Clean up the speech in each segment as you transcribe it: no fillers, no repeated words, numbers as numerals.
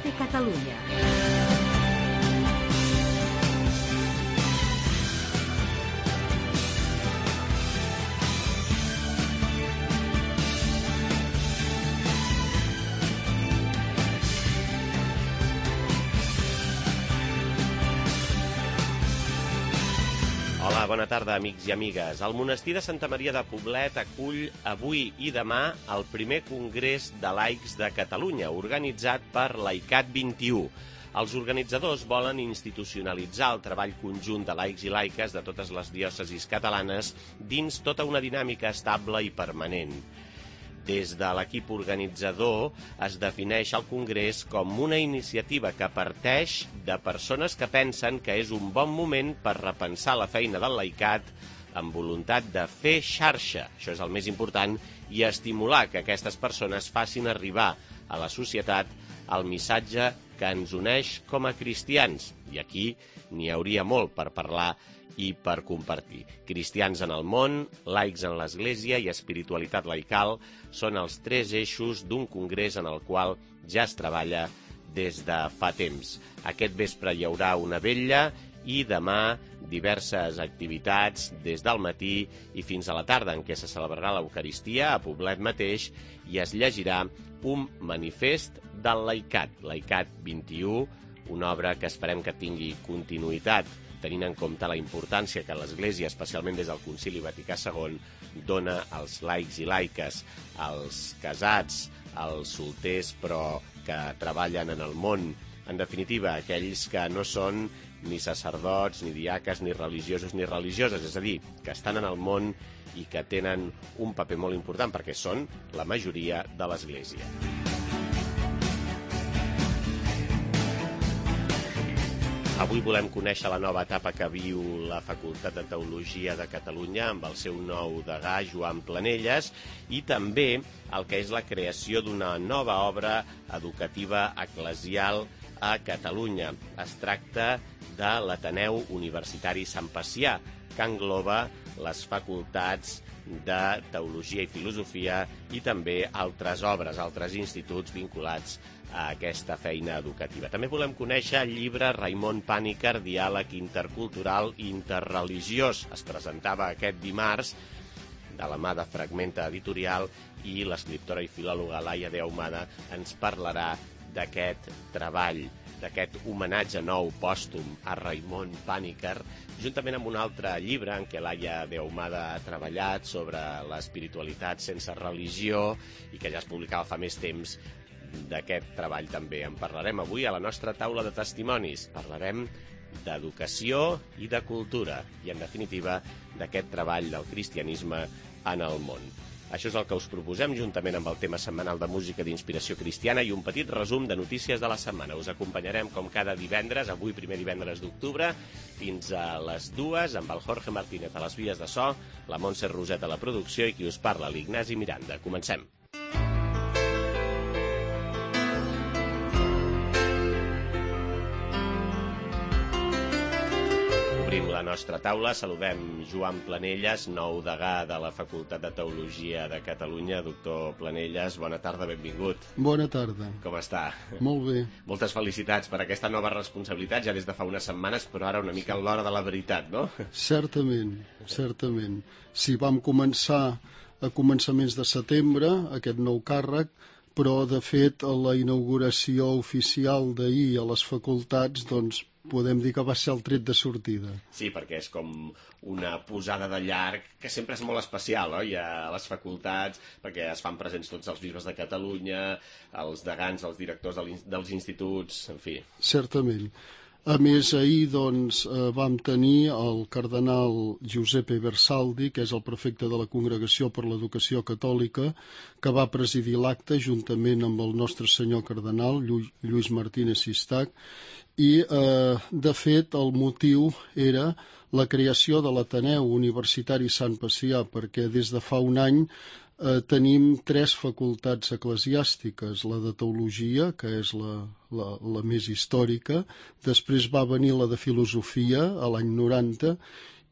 Escolta Catalunya. Hola, bona tarda, amics i amigues. El monestir de Santa Maria de Poblet acull avui i demà el primer Congrés de Laics de Catalunya, organitzat per Laicat 21. Els organitzadors volen institucionalitzar el treball conjunt de laics i laiques de totes les diòcesis catalanes dins tota una dinàmica estable i permanent. Des de l'equip organitzador es defineix el Congrés com una iniciativa que parteix de persones que pensen que és un bon moment per repensar la feina del laicat amb voluntat de fer xarxa, això és el més important, i estimular que aquestes persones facin arribar a la societat el missatge que ens uneix com a cristians. I aquí n'hi hauria molt per parlar i per compartir. Cristians en el món, laics en l'Església i espiritualitat laical són els tres eixos d'un congrés en el qual ja es treballa des de fa temps. Aquest vespre hi haurà una vetlla i demà diverses activitats des del matí i fins a la tarda en què se celebrarà l'Eucaristia a Poblet mateix i es llegirà un manifest del laicat, Laicat 21, una obra que esperem que tingui continuïtat tenint en compte la importància que l'Església, especialment des del Concili Vaticà II, dona als laics i laiques, als casats, als solters però que treballen en el món, en definitiva, aquells que no són ni sacerdots, ni diaques, ni religiosos ni religioses, és a dir, que estan en el món i que tenen un paper molt important perquè són la majoria de l'Església. Avui volem conèixer la nova etapa que viu la Facultat de Teologia de Catalunya amb el seu nou degà, Joan Planelles, i també el que és la creació d'una nova obra educativa eclesial a Catalunya. Es tracta de l'Ateneu Universitari Sant Pacià, que engloba les facultats de Teologia i Filosofia i també altres obres, altres instituts vinculats a aquesta feina educativa. També volem conèixer el llibre Raimon Pàniker, Diàleg intercultural i interreligiós. Es presentava aquest dimarts de la mà de Fragmenta Editorial i l'escriptora i filòloga Laia de Ahumada ens parlarà d'aquest treball, d'aquest homenatge nou pòstum a Raimon Pàniker, juntament amb un altre llibre en què Laia de Ahumada ha treballat sobre l'espiritualitat sense religió i que ja es publicava fa més temps. D'aquest treball també en parlarem avui a la nostra taula de testimonis. Parlarem d'educació i de cultura i, en definitiva, d'aquest treball del cristianisme en el món. Això és el que us proposem, juntament amb el tema setmanal de música d'inspiració cristiana i un petit resum de notícies de la setmana. Us acompanyarem com cada divendres, avui primer divendres d'octubre, fins a les 2, amb el Jorge Martínez a les vies de so, la Montse Roset a la producció i qui us parla, l'Ignasi Miranda. Comencem. Obrim la nostra taula, saludem Joan Planelles, nou degà de la Facultat de Teologia de Catalunya. Doctor Planelles, bona tarda, benvingut. Bona tarda. Com està? Molt bé. Moltes felicitats per aquesta nova responsabilitat, ja des de fa unes setmanes, però ara una mica a l'hora de la veritat, no? Certament, certament. Sí, vam començar a començaments de setembre, aquest nou càrrec, però, de fet, a la inauguració oficial d'ahir a les facultats, doncs, podem dir que va ser el tret de sortida. Sí, perquè és com una posada de llarg que sempre és molt especial, oi? A les facultats, perquè es fan presents tots els bisbes de Catalunya, els degans, els directors dels instituts, en fi. Certament. A més, ahir doncs, vam tenir el cardenal Giuseppe Bersaldi, que és el prefecte de la Congregació per l'Educació Catòlica, que va presidir l'acte juntament amb el nostre senyor cardenal, Lluís Martínez Sistac, i, de fet, el motiu era la creació de l'Ateneu Universitari Sant Pacià, perquè des de fa un any tenim 3 facultats eclesiàstiques, la de Teologia, que és la més històrica, després va venir la de Filosofia a l'any 90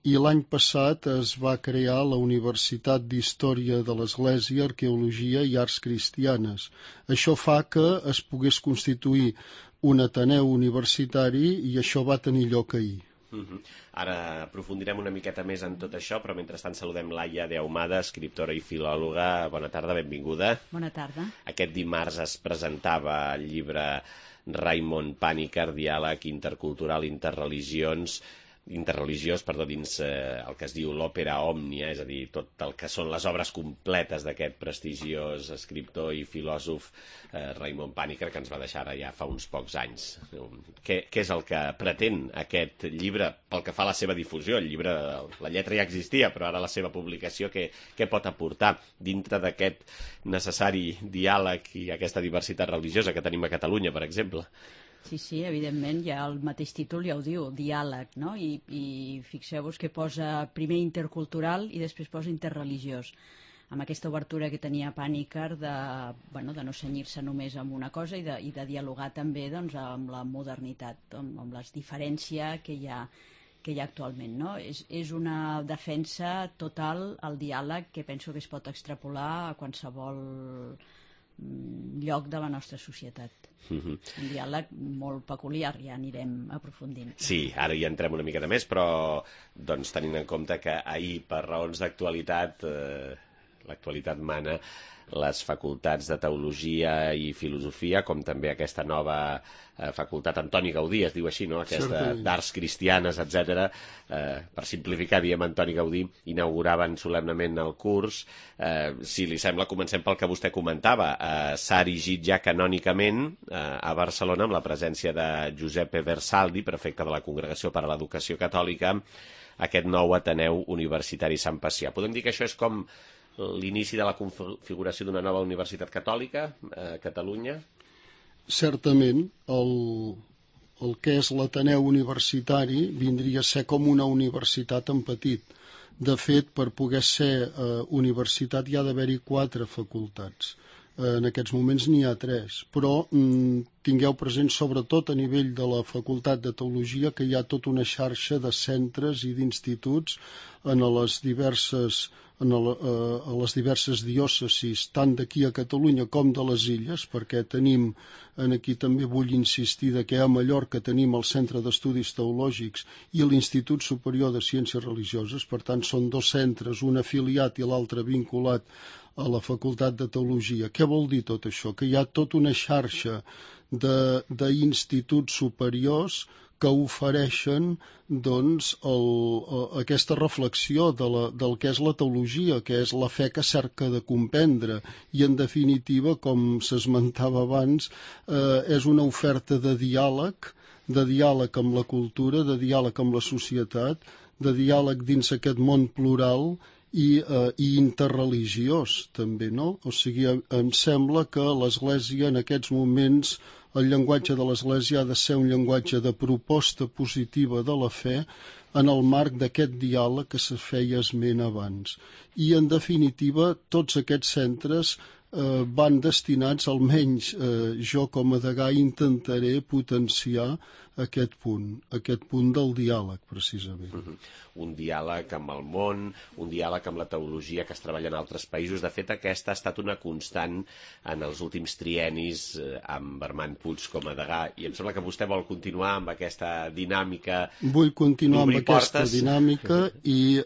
i l'any passat es va crear la Universitat d'Història de l'Església, Arqueologia i Arts Cristianes. Això fa que es pogués constituir un ateneu universitari i això va tenir lloc ahir. Ara aprofundirem una miqueta més en tot això, però mentrestant saludem Laia de Ahumada, escriptora i filòloga. Bona tarda, benvinguda. Bona tarda. Aquest dimarts es presentava el llibre Raimon Pàniker, Diàleg intercultural interreligiós, dins el que es diu l'òpera òmnia, és a dir, tot el que són les obres completes d'aquest prestigiós escriptor i filòsof Raimon Pàniker, que ens va deixar ara ja fa uns pocs anys. Què és el que pretén aquest llibre pel que fa a la seva difusió? El llibre, la lletra ja existia, però ara la seva publicació què pot aportar dintre d'aquest necessari diàleg i aquesta diversitat religiosa que tenim a Catalunya, per exemple? Sí, evidentment, ja el mateix títol ja ho diu, diàleg, no? I fixeu-vos que posa primer intercultural i després posa interreligiós, amb aquesta obertura que tenia Pàniker de no cenyir-se només amb una cosa i de dialogar també doncs, amb la modernitat, amb les diferències que hi ha actualment, no? És una defensa total al diàleg que penso que es pot extrapolar a qualsevol lloc de la nostra societat. Un diàleg molt peculiar, ja anirem aprofundint. Sí, ara hi entrem una miqueta més, però doncs, tenint en compte que ahir, per raons d'actualitat, l'actualitat mana les facultats de Teologia i Filosofia, com també aquesta nova facultat Antoni Gaudí, es diu així, no? Aquesta d'Arts Cristianes, etc. Per simplificar, diem Antoni Gaudí, inauguraven solemnement el curs. Si li sembla, comencem pel que vostè comentava. S'ha erigit ja canònicament a Barcelona, amb la presència de Giuseppe Versaldi, prefecte de la Congregació per a l'Educació Catòlica, aquest nou Ateneu Universitari Sant Pacià. Podem dir que això és com l'inici de la configuració d'una nova universitat catòlica a Catalunya? Certament, el que és l'Ateneu Universitari vindria a ser com una universitat en petit. De fet, per poder ser universitat hi ha d'haver-hi 4 facultats. En aquests moments n'hi ha 3, però tingueu present sobretot a nivell de la Facultat de Teologia que hi ha tota una xarxa de centres i d'instituts a les diverses diòcesis, tant d'aquí a Catalunya com de les Illes, perquè tenim, aquí també vull insistir, que a Mallorca tenim el Centre d'Estudis Teològics i l'Institut Superior de Ciències Religioses, per tant són 2 centres, un afiliat i l'altre vinculat a la Facultat de Teologia. Què vol dir tot això? Que hi ha tota una xarxa d'instituts superiors que ofereixen doncs, aquesta reflexió del que és la teologia, que és la fe que cerca de comprendre, i en definitiva, com s'esmentava abans, és una oferta de diàleg amb la cultura, de diàleg amb la societat, de diàleg dins aquest món plural i interreligiós també, no? O sigui, em sembla que l'Església en aquests moments, el llenguatge de l'Església ha de ser un llenguatge de proposta positiva de la fe en el marc d'aquest diàleg que se feia esment abans. I en definitiva tots aquests centres van destinats, almenys jo com a degà intentaré potenciar aquest punt del diàleg, precisament. Un diàleg amb el món, un diàleg amb la teologia que es treballa en altres països. De fet, aquesta ha estat una constant en els últims triennis amb Armand Puig com a degà, i em sembla que vostè vol continuar amb aquesta dinàmica. Vull continuar amb aquesta dinàmica i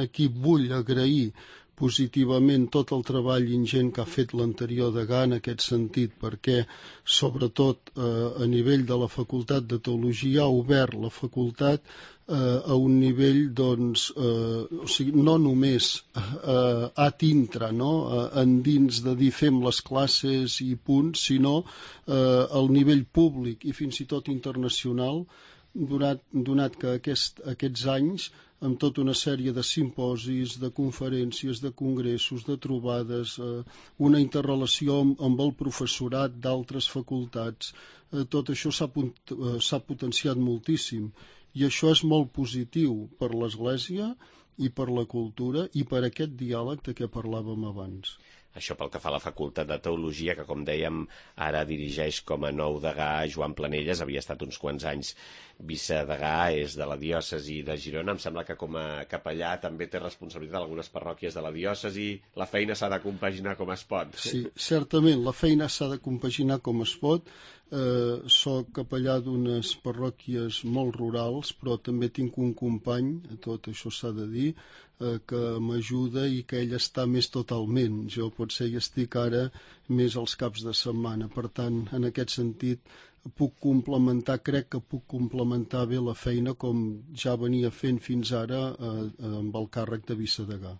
aquí vull agrair positivament tot el treball ingent que ha fet l'anterior degà en aquest sentit, perquè sobretot a nivell de la Facultat de Teologia ha obert la facultat a un nivell, doncs, o sigui, no només ad intra, no? Endins de dir fem les classes i punts, sinó al nivell públic i fins i tot internacional, donat que aquests anys, amb tota una sèrie de simposis, de conferències, de congressos, de trobades, una interrelació amb el professorat d'altres facultats, tot això s'ha potenciat moltíssim. I això és molt positiu per l'Església i per la cultura i per aquest diàleg de què parlàvem abans. Això pel que fa a la Facultat de Teologia, que, com dèiem, ara dirigeix com a nou degà Joan Planelles, havia estat uns quants anys vicedegà, és de la diòcesi de Girona. Em sembla que com a capellà també té responsabilitat d'algunes parròquies de la diòcesi. La feina s'ha de compaginar com es pot. Sí, certament, la feina s'ha de compaginar com es pot. Soc capellà d'unes parròquies molt rurals, però també tinc un company, tot això s'ha de dir, que m'ajuda i que ell està més totalment. Jo potser hi estic ara més als caps de setmana. Per tant, en aquest sentit, crec que puc complementar bé la feina com ja venia fent fins ara amb el càrrec de vicedegà.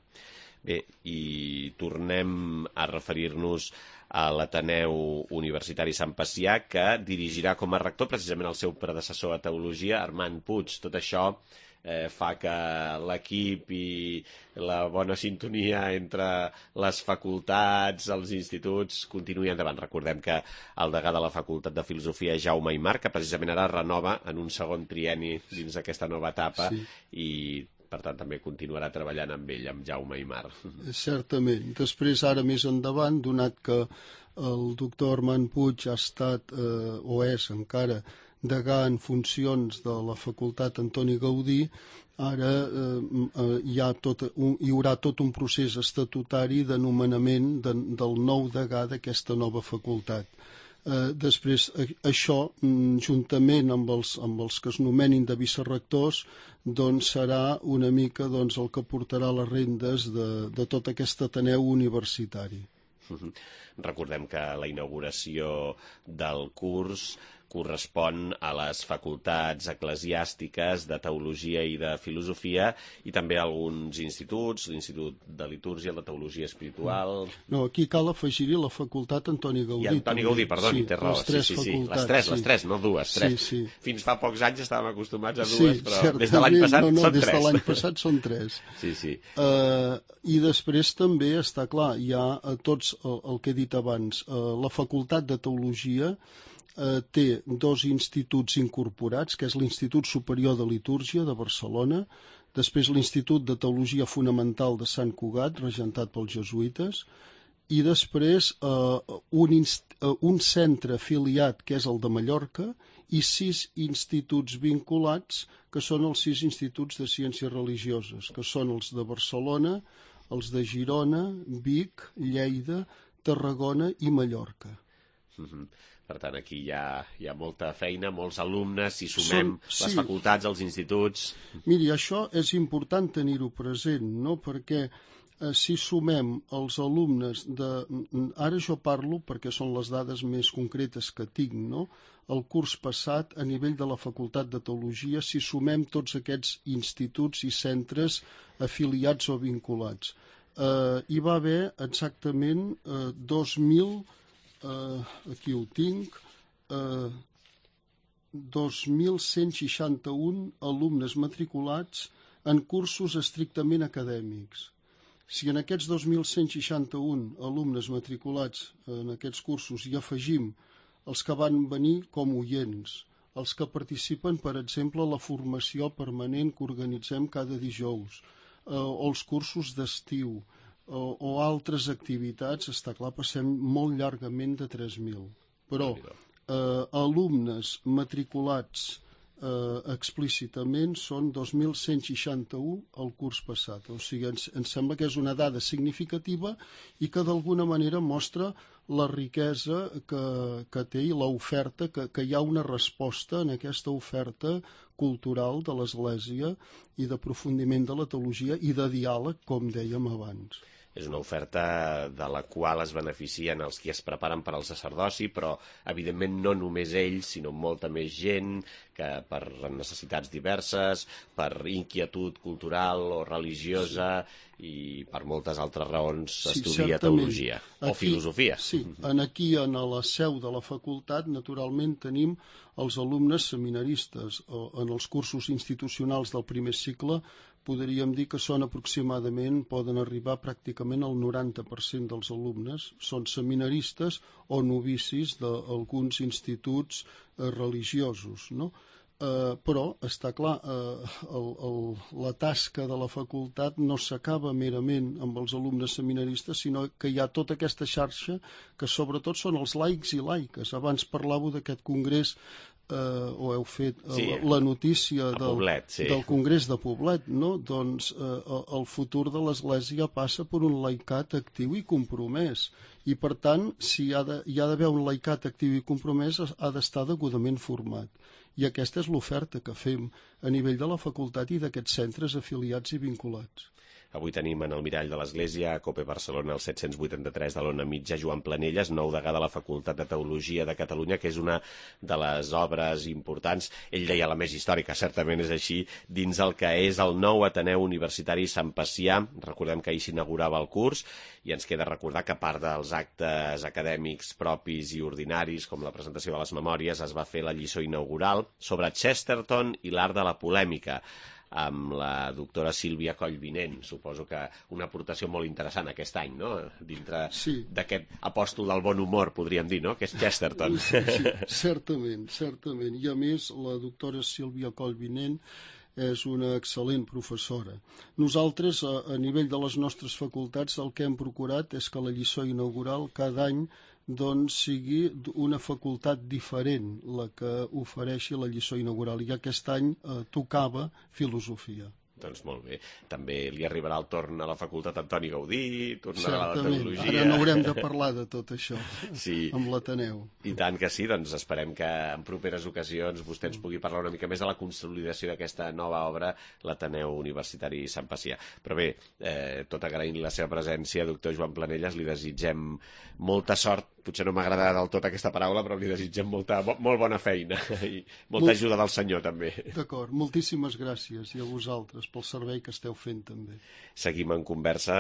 Bé, i tornem a referir-nos a l'Ateneu Universitari Sant Pacià, que dirigirà com a rector precisament el seu predecessor a Teologia, Armand Puig. Tot això fa que l'equip i la bona sintonia entre les facultats, els instituts, continuï endavant. Recordem que el degà de la Facultat de Filosofia, Jaume Aymar, que precisament ara renova en un segon trienni dins d'aquesta nova etapa, sí. I per tant també continuarà treballant amb ell, amb Jaume Aymar. Certament. Després, ara més endavant, donat que el doctor Armand Puig ha estat, o és encara, degà en funcions de la Facultat Antoni Gaudí, ara hi haurà tot un procés estatutari de nomenament del nou degà d'aquesta nova facultat. Després, això, juntament amb els que es nomenin de vicerrectors, doncs serà una mica el que portarà les rendes de tot aquest Ateneu Universitari. Recordem que la inauguració del curs correspon a les facultats eclesiàstiques de Teologia i de Filosofia i també a alguns instituts, l'Institut de Litúrgia, el de Teologia Espiritual... No, aquí cal afegir-hi la Facultat Antoni Gaudí. I Antoni Gaudí, perdoni, té raó. Les tres, no dues, tres. Sí. Fins fa pocs anys estàvem acostumats a dues, però des de l'any passat són tres. Des de l'any passat són tres. Sí. I després també està clar, hi ha tots el que he dit abans, la Facultat de Teologia té dos instituts incorporats, que és l'Institut Superior de Litúrgia de Barcelona, després l'Institut de Teologia Fonamental de Sant Cugat, regentat pels jesuïtes, i després un centre afiliat, que és el de Mallorca, i 6 instituts vinculats, que són els 6 instituts de ciències religioses, que són els de Barcelona, els de Girona, Vic, Lleida, Tarragona i Mallorca. Per tant, aquí hi ha molta feina, molts alumnes, si sumem les facultats, els instituts... Miri, això és important tenir-ho present, no? Perquè si sumem els alumnes Ara jo parlo perquè són les dades més concretes que tinc, no? El curs passat, a nivell de la Facultat de Teologia, si sumem tots aquests instituts i centres afiliats o vinculats, hi va haver exactament 2.000... aquí ho tinc, 2.161 alumnes matriculats en cursos estrictament acadèmics. Si en aquests 2.161 alumnes matriculats en aquests cursos hi afegim els que van venir com oients, els que participen, per exemple, a la formació permanent que organitzem cada dijous, o els cursos d'estiu, o altres activitats, està clar, passem molt llargament de 3.000. Però alumnes matriculats explícitament són 2.161 el curs passat. O sigui, ens sembla que és una dada significativa i que d'alguna manera mostra la riquesa que té i l'oferta, que hi ha una resposta en aquesta oferta cultural de l'Església i d'aprofundiment de la teologia i de diàleg, com dèiem abans. És una oferta de la qual es beneficien els qui es preparen per al sacerdoci, però evidentment no només ells, sinó molta més gent que per necessitats diverses, per inquietud cultural o religiosa i per moltes altres raons estudia teologia o filosofia. Sí, aquí en la seu de la facultat naturalment tenim els alumnes seminaristes. En els cursos institucionals del primer cicle podríem dir que són aproximadament, poden arribar pràcticament al 90% dels alumnes, són seminaristes o novicis d'alguns instituts religiosos, no? Però, està clar, la tasca de la facultat no s'acaba merament amb els alumnes seminaristes, sinó que hi ha tota aquesta xarxa que sobretot són els laics i laiques. Abans parlàveu d'aquest congrés, o heu fet la notícia del Congrés de Poblet, no? Doncs el futur de l'Església passa per un laicat actiu i compromès. I, per tant, si hi ha d'haver un laicat actiu i compromès, ha d'estar degudament format. I aquesta és l'oferta que fem a nivell de la facultat i d'aquests centres afiliats i vinculats. Avui tenim en el mirall de l'Església, a COPE Barcelona, el 783 de l'Ona Mitja, Joan Planelles, nou degà de la Facultat de Teologia de Catalunya, que és una de les obres importants, ell deia la més històrica, certament és així, dins el que és el nou Ateneu Universitari Sant Pacià. Recordem que ahir s'inaugurava el curs, i ens queda recordar que a part dels actes acadèmics propis i ordinaris, com la presentació de les memòries, es va fer la lliçó inaugural sobre Chesterton i l'art de la polèmica, amb la doctora Sílvia Collvinent. Suposo que una aportació molt interessant aquest any, no? Dintre d'aquest apòstol del bon humor, podríem dir, no? Que és Chesterton. Sí, certament. I a més, la doctora Sílvia Collvinent és una excel·lent professora. Nosaltres, a nivell de les nostres facultats, el que hem procurat és que la lliçó inaugural cada any sigui una facultat diferent la que ofereixi la lliçó inaugural. I aquest any tocava filosofia. Doncs molt bé. També li arribarà el torn a la facultat Antoni Gaudí, tornarà a la teologia... Certament, ara n'haurem de parlar de tot això, amb l'Ateneu. I tant que sí, doncs esperem que en properes ocasions vostè ens pugui parlar una mica més de la consolidació d'aquesta nova obra, l'Ateneu Universitari Sant Pacià. Però bé, tot agraint la seva presència, doctor Joan Planelles, li desitgem molta sort. Potser no m'agrada del tot aquesta paraula, però li desitgem molt bona feina i molta ajuda del Senyor, també. D'acord, moltíssimes gràcies, i a vosaltres pel servei que esteu fent, també. Seguim en conversa,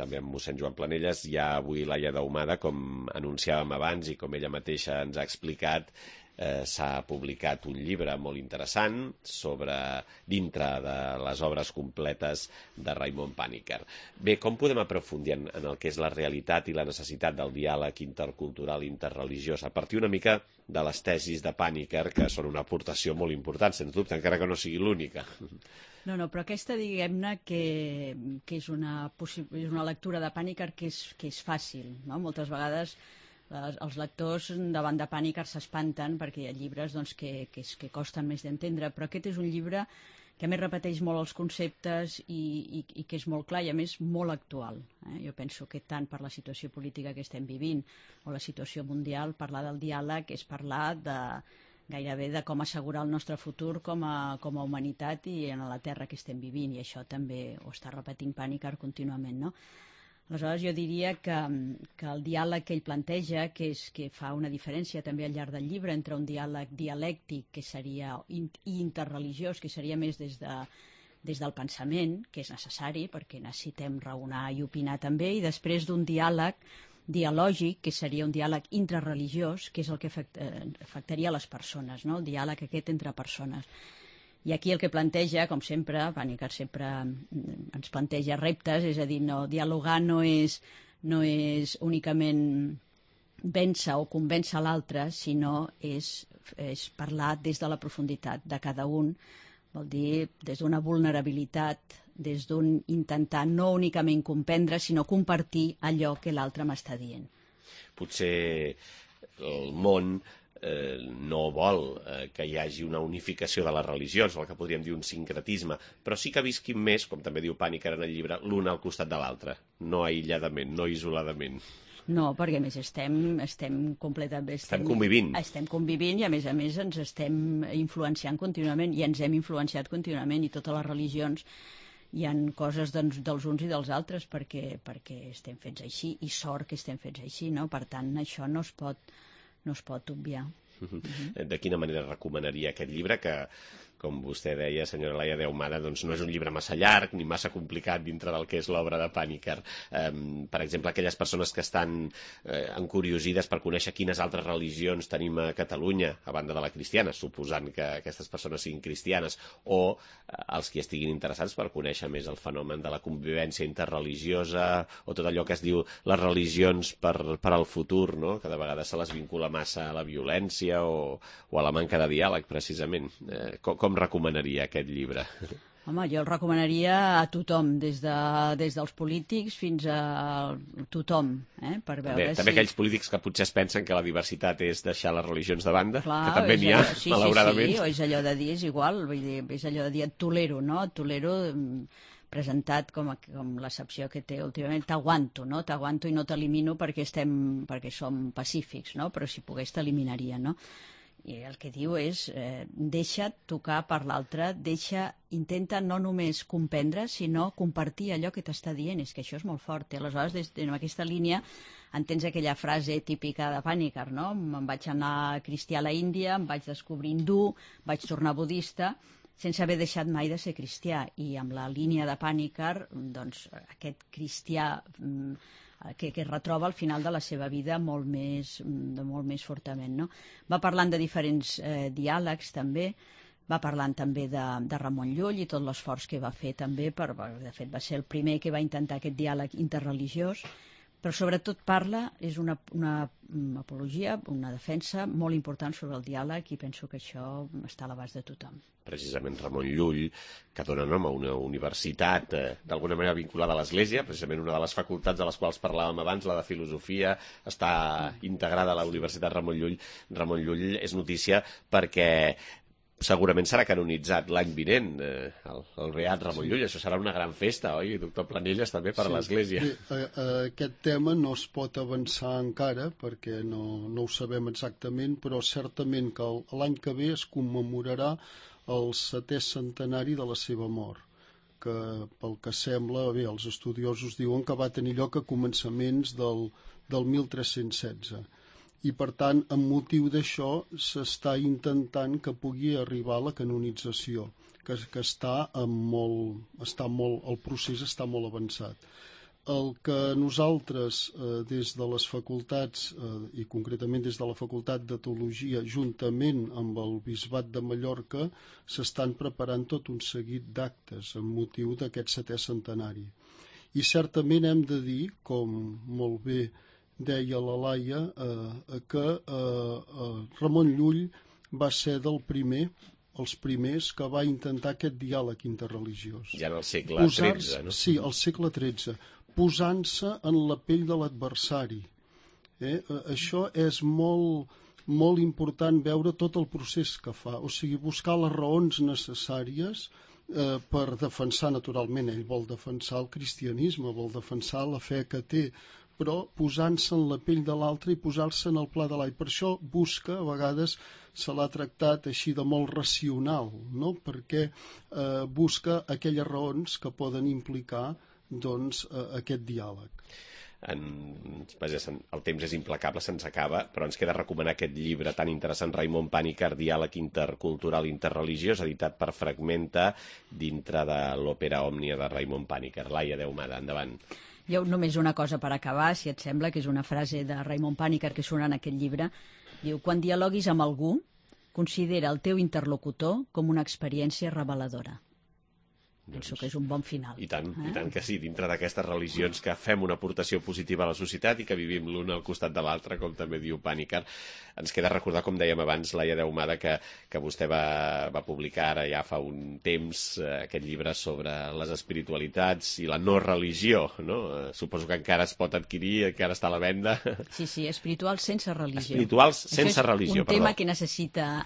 també amb mossèn Joan Planelles. Hi ha avui Laia Daumada, com anunciàvem abans i com ella mateixa ens ha explicat, s'ha publicat un llibre molt interessant dintre de les obres completes de Raimon Panikkar. Bé, com podem aprofundir en el que és la realitat i la necessitat del diàleg intercultural i interreligiós a partir una mica de les tesis de Panikkar, que són una aportació molt important, sens dubte, encara que no sigui l'única? No, però aquesta, diguem-ne, que és una lectura de Panikkar que és fàcil, no? Moltes vegades els lectors davant de Panikkar s'espanten perquè hi ha llibres que costen més d'entendre, però aquest és un llibre que a més repeteix molt els conceptes i que és molt clar i a més molt actual. Jo penso que tant per la situació política que estem vivint o la situació mundial, parlar del diàleg és parlar gairebé de com assegurar el nostre futur com a humanitat i en la terra que estem vivint, i això també ho està repetint Panikkar contínuament, no? Aleshores, jo diria que el diàleg que ell planteja, que fa una diferència també al llarg del llibre entre un diàleg dialèctic, que seria, i interreligiós, que seria més des del pensament, que és necessari, perquè necessitem raonar i opinar també, i després d'un diàleg dialògic, que seria un diàleg intrareligiós, que és el que afectaria les persones, no? El diàleg aquest entre persones. I aquí el que planteja, com sempre, Panikkar sempre ens planteja reptes, és a dir, dialogar no és únicament vèncer o convèncer l'altre, sinó és parlar des de la profunditat de cada un, vol dir des d'una vulnerabilitat, des d'un intentar no únicament comprendre, sinó compartir allò que l'altre m'està dient. Potser el món no vol que hi hagi una unificació de les religions, o el que podríem dir un sincretisme, però sí que visquin més, com també diu Panikkar en el llibre, l'un al costat de l'altre, no aïlladament, no isoladament. No, perquè a més estem completament... Estem convivint. Estem convivint i a més ens estem influenciant contínuament i ens hem influenciat contínuament, i totes les religions hi ha coses dels uns i dels altres perquè estem fets així, i sort que estem fets així, no? Per tant, això no es pot obviar. De quina manera recomanaria aquest llibre, que com vostè deia, senyora Laia de Ahumada, doncs no és un llibre massa llarg ni massa complicat dintre del que és l'obra de Pàniker. Per exemple, aquelles persones que estan encuriosides per conèixer quines altres religions tenim a Catalunya, a banda de la cristiana, suposant que aquestes persones siguin cristianes, o els que estiguin interessats per conèixer més el fenomen de la convivència interreligiosa o tot allò que es diu les religions per al futur, no? Que de vegades se les vincula massa a la violència o a la manca de diàleg, precisament. Com recomanaria aquest llibre? Home, jo el recomanaria a tothom, des dels polítics fins a tothom, per veure també aquells polítics que potser es pensen que la diversitat és deixar les religions de banda, clar, que també n'hi ha, malauradament. Sí, o és allò de dir, és igual, vull dir, és allò de dir et tolero, no? Et tolero presentat com l'excepció que té últimament, t'aguanto, no? T'aguanto i no t'elimino perquè som pacífics, no? Però si pogués t'eliminaria, no? I el que diu és, deixa't tocar per l'altre, intenta no només comprendre, sinó compartir allò que t'està dient, és que això és molt fort. I aleshores, en aquesta línia, entens aquella frase típica de Pàniker, no? Em vaig anar cristià a la Índia, em vaig descobrir hindú, vaig tornar budista, sense haver deixat mai de ser cristià. I amb la línia de Pàniker, doncs, aquest cristià que es retroba al final de la seva vida molt més fortament, no? Va parlant de diferents diàlegs també, va parlant també de Ramon Llull i tot l'esforç que va fer també, de fet va ser el primer que va intentar aquest diàleg interreligiós, però sobretot és una apologia, una defensa molt important sobre el diàleg i penso que això està a l'abast de tothom. Precisament Ramon Llull, que dona nom a una universitat d'alguna manera vinculada a l'Església, precisament una de les facultats de les quals parlàvem abans, la de Filosofia, està integrada a la Universitat Ramon Llull. Ramon Llull és notícia perquè segurament serà canonitzat l'any vinent, el beat Ramon Llull. Això serà una gran festa, oi, doctor Planelles, també per l'Església? Sí, aquest tema no es pot avançar encara perquè no ho sabem exactament, però certament que l'any que ve es commemorarà el 7è centenari de la seva mort, que pel que sembla, bé, els estudiosos diuen que va tenir lloc a començaments del 1316. I, per tant, amb motiu d'això, s'està intentant que pugui arribar a la canonització, que el procés està molt avançat. El que nosaltres, des de les facultats, i concretament des de la Facultat de Teologia, juntament amb el Bisbat de Mallorca, s'estan preparant tot un seguit d'actes amb motiu d'aquest 7è centenari. I certament hem de dir, com molt bé deia la Laia, que Ramon Llull va ser els primers que va intentar aquest diàleg interreligiós. Ja en el segle XIII, no? Sí, al segle XIII, posant-se en la pell de l'adversari. Això és molt important veure tot el procés que fa, o sigui, buscar les raons necessàries per defensar, naturalment, ell vol defensar el cristianisme, vol defensar la fe que té, però posant-se en la pell de l'altre i posar-se en el pla de l'all. Per això busca, a vegades se l'ha tractat així de molt racional, no? Perquè busca aquelles raons que poden implicar aquest diàleg. El temps és implacable, se'ns acaba, però ens queda recomanar aquest llibre tan interessant, Raimon Pàniker, Diàleg intercultural interreligiós, editat per Fragmenta, dintre de l'òpera Òmnia de Raimon Pàniker. Laia de Ahumada, endavant. Jo només una cosa per acabar, si et sembla, que és una frase de Raimon Pàniker que surt en aquest llibre. Diu, quan dialoguis amb algú, considera el teu interlocutor com una experiència reveladora. Penso que és un bon final. I tant que sí, dintre d'aquestes religions que fem una aportació positiva a la societat i que vivim l'un al costat de l'altre, com també diu Pàniker. Ens queda recordar, com dèiem abans, Laia de Ahumada, que vostè va publicar ara ja fa un temps aquest llibre sobre les espiritualitats i la no religió, no? Suposo que encara es pot adquirir, encara està a la venda. Sí, espirituals sense religió. Espirituals sense religió, perdó. Un tema que necessita...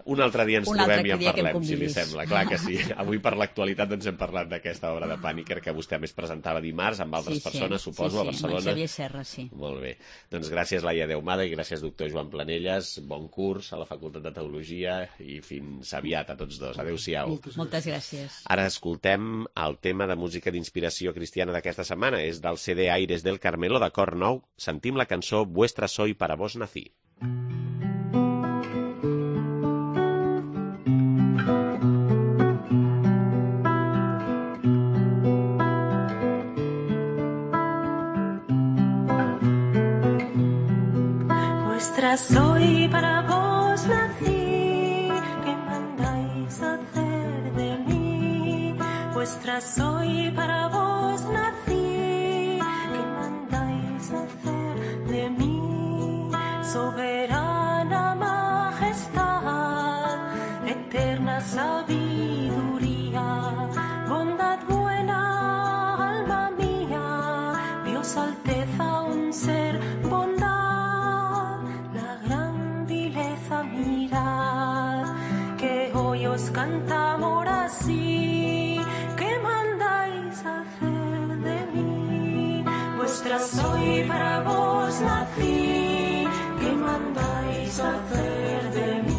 Un altre dia ens trobem i en parlem, si li sembla. Clar que sí. Avui per l'actualitat ens hem parlat d'aquesta obra de Pàniker que vostè més presentava dimarts amb altres persones, suposo, a Barcelona. Amb Xavier Serra, sí. Molt bé. Doncs gràcies, Laia de Ahumada, i gràcies, doctor Joan Planelles. Bon curs a la Facultat de Teologia i fins aviat a tots dos. Adéu-siau. Moltes gràcies. Ara escoltem el tema de música d'inspiració cristiana d'aquesta setmana. És del CD Aires del Carmelo, de Cor Nou. Sentim la cançó Vuestra soy, para vos nací. Vuestra soy, para vos nací, ¿qué mandáis hacer de mí? Vuestra soy, para vos nací, ¿qué mandáis hacer de mí? Soberana majestad, eterna sabiduría, bondad buena, alma mía, Dios alteza, un ser, bondad, la gran vileza mirad, que hoy os cantamos así, ¿qué mandáis hacer de mí? Vuestra soy, para vos nací, ¿qué mandáis hacer de mí?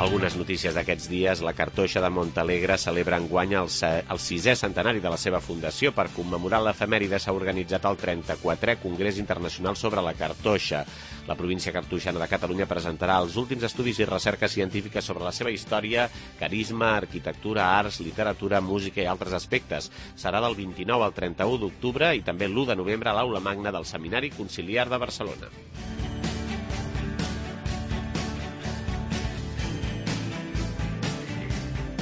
Algunes notícies d'aquests dies. La Cartoixa de Montalegre celebra enguany el 6è centenari de la seva fundació. Per commemorar l'efemèride s'ha organitzat el 34è Congrés Internacional sobre la Cartoixa. La província cartoixana de Catalunya presentarà els últims estudis i recerques científiques sobre la seva història, carisma, arquitectura, arts, literatura, música i altres aspectes. Serà del 29 al 31 d'octubre i també l'1 de novembre a l'Aula Magna del Seminari Conciliar de Barcelona.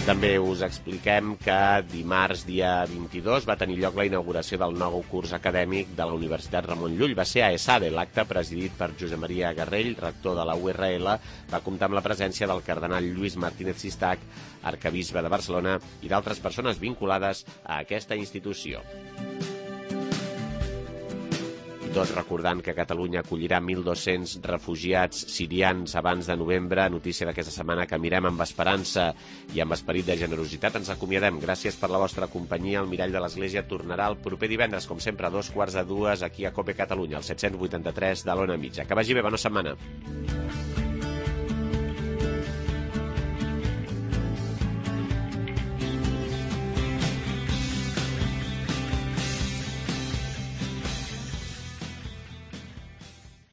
També us expliquem que dimarts, dia 22, va tenir lloc la inauguració del nou curs acadèmic de la Universitat Ramon Llull. Va ser a ESADE. L'acte, presidit per Josep Maria Garrell, rector de la URL, va comptar amb la presència del cardenal Lluís Martínez Sistac, arquebisbe de Barcelona, i d'altres persones vinculades a aquesta institució. Tot recordant que Catalunya acollirà 1.200 refugiats sirians abans de novembre. Notícia d'aquesta setmana que mirem amb esperança i amb esperit de generositat. Ens acomiadem. Gràcies per la vostra companyia. El Mirall de l'Església tornarà el proper divendres, com sempre, a 2:15, aquí a COPE Catalunya, al 783 de l'Ona Mitja. Que vagi bé, bona setmana.